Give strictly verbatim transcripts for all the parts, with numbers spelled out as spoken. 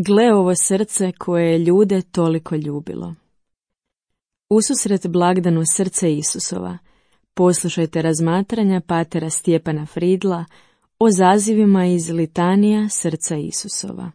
Gle ovo srce koje je ljude toliko ljubilo. Ususret blagdanu srce Isusova, poslušajte razmatranja patera Stjepana Fridla o zazivima iz litanija srca Isusova.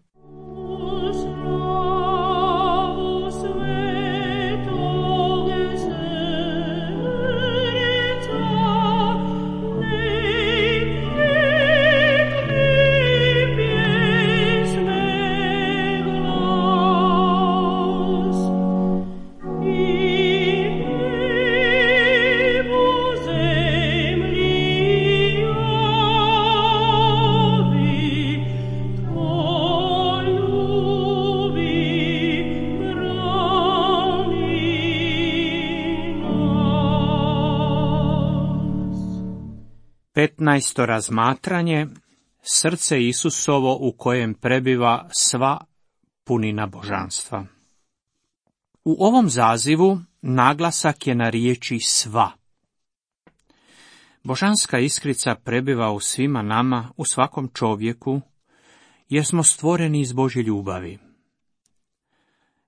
Petnaesto razmatranje, srce Isusovo u kojem prebiva sva punina božanstva. U ovom zazivu naglasak je na riječi sva. Božanska iskrica prebiva u svima nama, u svakom čovjeku, jer smo stvoreni iz Božje ljubavi.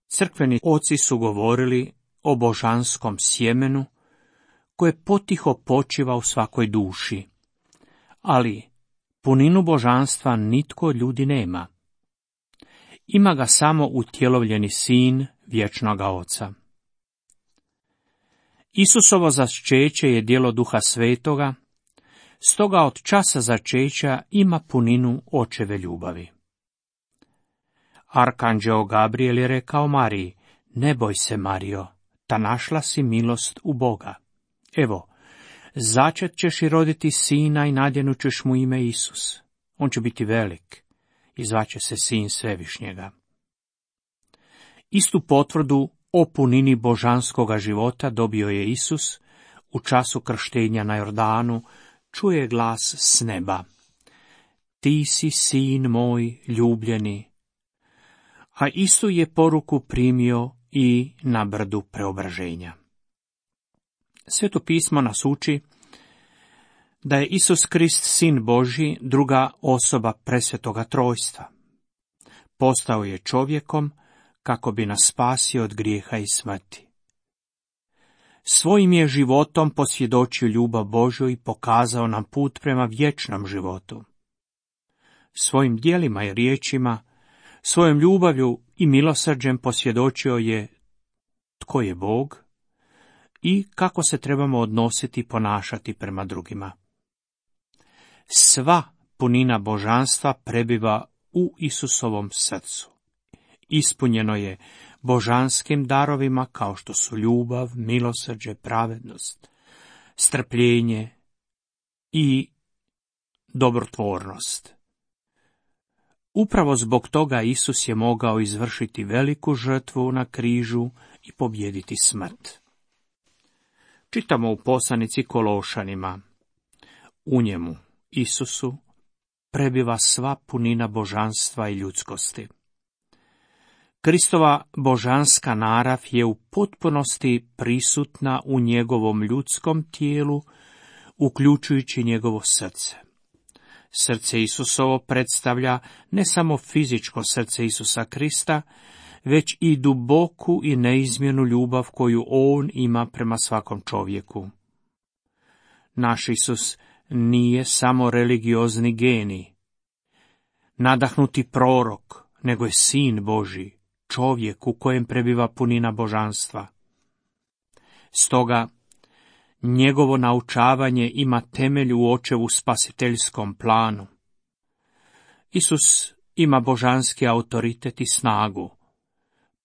Crkveni oci su govorili o božanskom sjemenu, koje potiho počiva u svakoj duši. Ali puninu božanstva nitko od ljudi nema. Ima ga samo utjelovljeni sin vječnoga Oca. Isusovo začeće je djelo Duha Svetoga, stoga od časa začeća ima puninu Očeve ljubavi. Arkanđeo Gabriel je rekao Mariji, ne boj se, Marijo, ta našla si milost u Boga. Evo, začet ćeš i roditi sina i nadjenut ćeš mu ime Isus. On će biti velik i zvaće se sin Svevišnjega. Istu potvrdu o punini božanskoga života dobio je Isus u času krštenja na Jordanu, čuje glas s neba. Ti si sin moj ljubljeni. A istu je poruku primio i na brdu preobraženja. Sveto pismo nas uči da je Isus Krist sin Božji, druga osoba presvetoga trojstva. Postao je čovjekom kako bi nas spasio od grijeha i smrti. Svojim je životom posvjedočio ljubav Božju i pokazao nam put prema vječnom životu. Svojim djelima i riječima, svojom ljubavlju i milosrđem posvjedočio je tko je Bog i kako se trebamo odnositi i ponašati prema drugima. Sva punina božanstva prebiva u Isusovom srcu. Ispunjeno je božanskim darovima kao što su ljubav, milosrđe, pravednost, strpljenje i dobrotvornost. Upravo zbog toga Isus je mogao izvršiti veliku žrtvu na križu i pobijediti smrt. Čitamo u poslanici Kološanima. U njemu, Isusu, prebiva sva punina božanstva i ljudskosti. Kristova božanska narav je u potpunosti prisutna u njegovom ljudskom tijelu, uključujući njegovo srce. Srce Isusovo predstavlja ne samo fizičko srce Isusa Krista, već i duboku i neizmjernu ljubav koju on ima prema svakom čovjeku. Naš Isus nije samo religiozni genij, nadahnuti prorok, nego je sin Božji, čovjek u kojem prebiva punina božanstva. Stoga, njegovo naučavanje ima temelj u Očevu spasiteljskom planu. Isus ima božanski autoritet i snagu.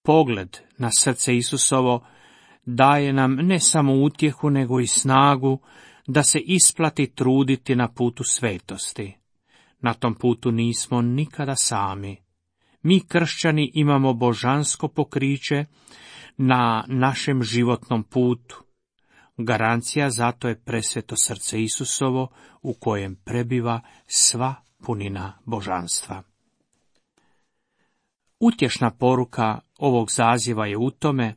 Pogled na srce Isusovo daje nam ne samo utjehu, nego i snagu da se isplati truditi na putu svetosti. Na tom putu nismo nikada sami. Mi kršćani imamo božansko pokriće na našem životnom putu. Garancija zato je presveto srce Isusovo u kojem prebiva sva punina božanstva. Utješna poruka ovog zaziva je u tome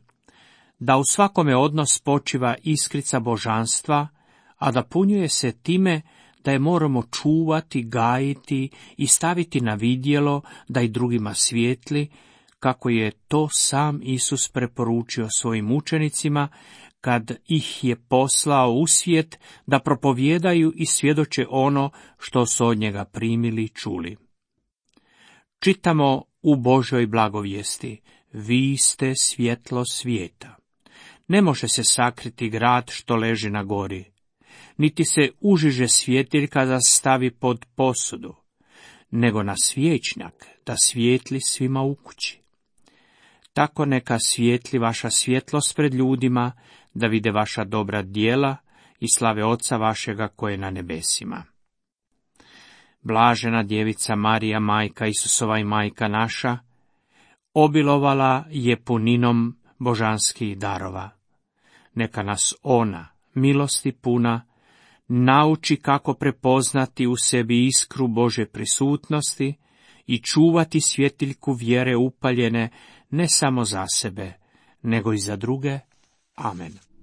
da u svakome odnos počiva iskrica božanstva, a da punjuje se time da je moramo čuvati, gajiti i staviti na vidjelo da i drugima svijetli, kako je to sam Isus preporučio svojim učenicima kad ih je poslao u svijet da propovijedaju i svjedoče ono što su od njega primili i čuli. Čitamo u Božoj blagovijesti: vi ste svjetlo svijeta. Ne može se sakriti grad što leži na gori, niti se užiže svjetiljka da stavi pod posudu, nego na svječnjak da svijetli svima u kući. Tako neka svijetli vaša svjetlost pred ljudima, da vide vaša dobra djela i slave Oca vašega koje je na nebesima. Blažena djevica Marija, majka Isusova i majka naša, obilovala je puninom božanskih darova. Neka nas ona, milosti puna, nauči kako prepoznati u sebi iskru Božje prisutnosti i čuvati svjetiljku vjere upaljene ne samo za sebe, nego i za druge. Amen.